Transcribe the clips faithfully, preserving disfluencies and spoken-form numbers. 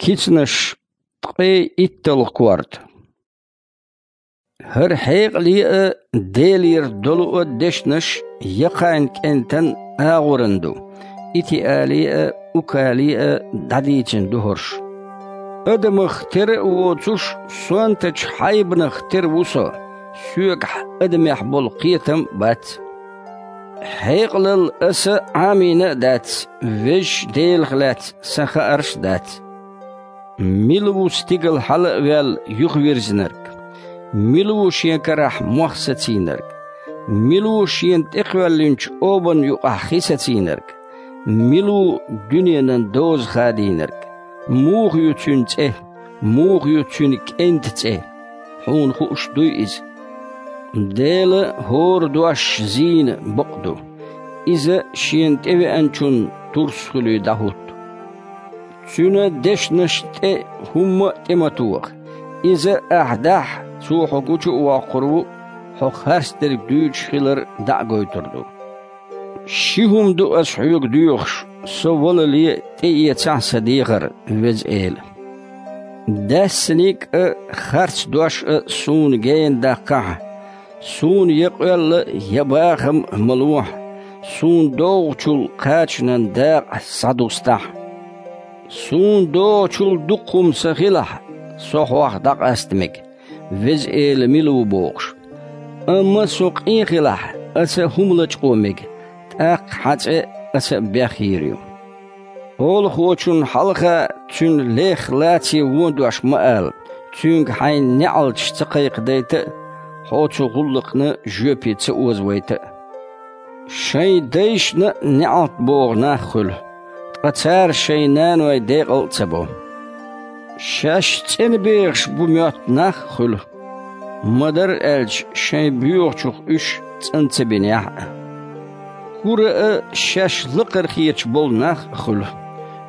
Кицанаш, ткъе итталгӀа корта. ХӀара хьекъале а, Делера долу а дешнаш Якхайн кӀентан агӀоран ду, Итиале а, Укале а дӀадийцина ду хӀорш. Адамах тера а воцуш, сонтачу хьайбанах тера ву со, соьгахь адамех болу кхетам а бац. Хьекъалалла аса Ӏамийна а дац, Везачу Делах лаьцна сан хаарш а дац. Мила ву стигала хьала а ваьлла юхавирзинарг? Мила ву шен карахь мох сацийнарг? Мила ву шена тӀекхоьллинчу обанна юкъахь хи сацийнарг? Мила ву дуьненан доза хадийнарг? Муха ю цуьнан цӀе? Муха ю цуьнан кӀентан цӀе? Хьуна хууш дуй иза? Делан хӀора дош зийна бакъ ду. Иза шена тӀевеанчунна турс хуьлий дӀахӀутту. Цуьнан дешнашна тӀе хӀумма а тӀе ма тоха. Иза ахь дахь, цо хьо гучу а воккхур ву, хьо харцдерг дуьйцуш хилар дӀа а гойтур ду. Ши хӀума ду аса хьоьга доьхуш, со валале тӀеэцахьа сан дехар, Веза Эла. Даьссаниг а, харц дош а суна гена даккхахьа, суна я къоьлла, я бахам а ма лохьа, суна догӀучул кхачанан дакъа схьадустахьа. Суна догӀучул дукха хӀума сан хилахь, со хьох дӀакъаста мега, Веза Эла мила ву бохуш. Амма со къен хилахь, аса хӀума лачкъо мега, тӀаккха хьан цӀе аса а бехйийр ю. Олахочунна хьалха цуьнан лех лаций вон дош ма ала, цуьнга хьайн неӀалташ ца кхайкхадайта а, хьо цу гӀуллакхна жоьпе ца озавайта а. Шайн дайшна а неӀалт боху нах хуьлу, ткъа цара шайн наной декъал а ца бо. Шаьш цӀена бехаш бу моьтту нах а хуьлу, ма-дарра аьлча, шайн боьхачух уьш цӀан ца бинехь а. Кура а шаьш лакхара хеташ болу нах а хуьлу,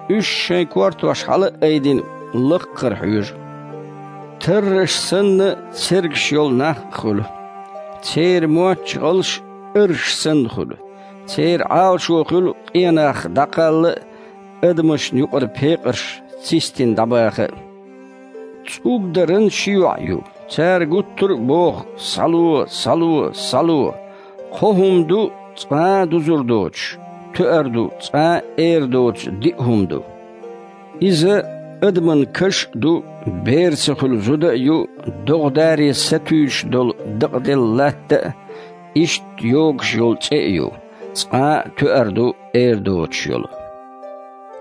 уьш шайн кортош хьала а айдина лакхара хьоьжу. Тарраш санна цергаш йолу нах а хуьлу, церан мотташ гӀалш арш санна хуьлу, церан Ӏалашо хуьлу къенах дӀакхалла а, адамашна юкъара пекъарш цистина дӀабаха а. ЦӀубдаран ши йоӀ ю, цара гуттар а боху: «Схьало, схьало, схьало!» Кхо хӀума ду, цкъа а дузур доцуш, тоьар ду, цкъа а эр доцу диъ хӀума ду. Иза адаман каш а ду, бер ца хуьлу зуда а ю, догӀа даре сатуьйсуш долу дакъаделла латта а, иштта йогуш йолу цӀе а ю, цкъа а тоьар ду, эр доцуш йолу.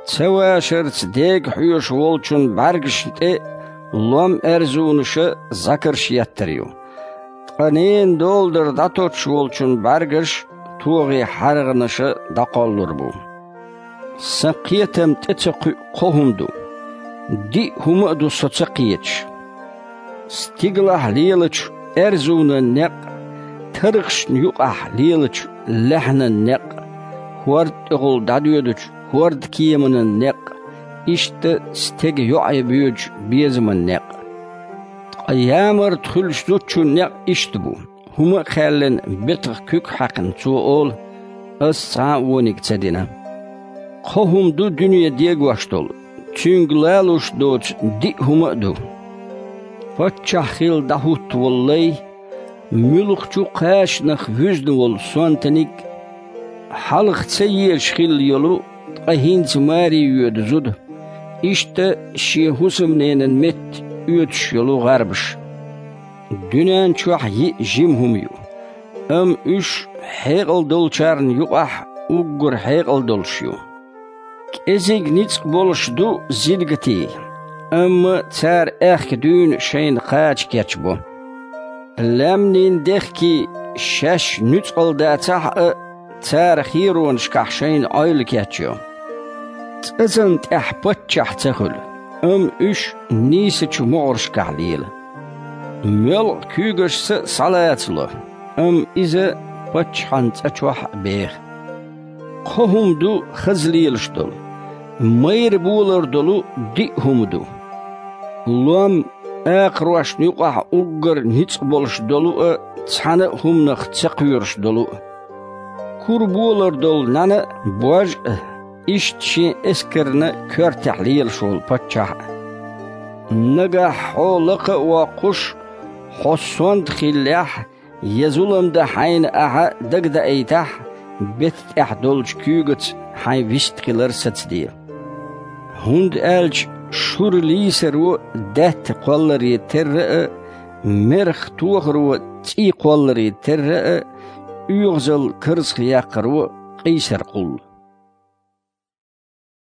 Ца вашарца дега хьоьжуш волчун бӀаьргашна тӀе лом аьрзунаша зӀакарш еттар ю, ткъа ненан доладар дӀатоттуш волчун бӀаьргаш тогӀе хьаргӀанаша дӀакхоллур бу. Сан кхетам тӀе ца кхуьу кхо хӀума ду, диъ хӀума а ду со ца кхеташ. Стигалахь лелачу аьрзунан некъ, тархашна юкъахь лелачу лаьхьанан некъ, хӀорда тӀехула дӀадоьдучу хӀорда кеманан некъ, иштта стеган йоӀе боьдучу безаман некъ. Ткъа ямарта хуьлуш зудчун некъ иштта бу. ХӀума а кхаьллина, бетах куьг хьаькхна, цо олу: «Ас цхьа а вониг ца дина». Кхо хӀума ду дуьне дегош долу, цуьнга лалуш доцу диъ хӀума а ду. Паччахь хилла дӀахӀутту волу лай, муьлххачу кхачанах вуьзна волу сонтаниг, хьалха ца езаш хилла йолу, ткъа хӀинца маре йоьду зуда, иштта шен хӀусамненан метта оьцуш йолу гӀарбаш. Дуьнен чохь йиъ жима хӀума ю, амма уьш хьекъал долчарна юкъахь уггар хьекъал долуш ю. КӀезиг ницкъ болуш ду зингатий, амма цара аьхка дуьйна шайна кхача кечбо. Лаьмнийн дехкий шаьш нуьцкъала дацахь а, цара херонашкахь шайна Ӏойла кечйо. ЦӀазан тӀехь паччахь ца хуьлу, амма уьш нийсачу могӀаршкахь лела. Моьлкъа куьйгашца а схьалацало, амма иза паччахьан цӀа чохь а беха. Кхо хӀума ду хаза лелаш долу, майра болар долу диъ хӀума ду. Лом, акхарошна юкъахь уггар ницкъ болуш долу а, цхьана а хӀуманах ца кхоьруш долу а. Кура болар долу нана а, бож а, иштта шен эскарна коьртехь лелаш волу паччахь а. Нагахь хьо лакха а воккхуш, хьо сонта хиллехь, я зулам дан хьайна ахьа дагадаийтахь, бетта тӀехь долчу куьйгаца хьайн вист хилар сацаде. ХӀунда аьлча шура лийсаро даьтта кхолларе терра а, мерах тохаро цӀий кхолларе терра а, оьгӀазалла карзахъяккхаро къийсар кхуллу.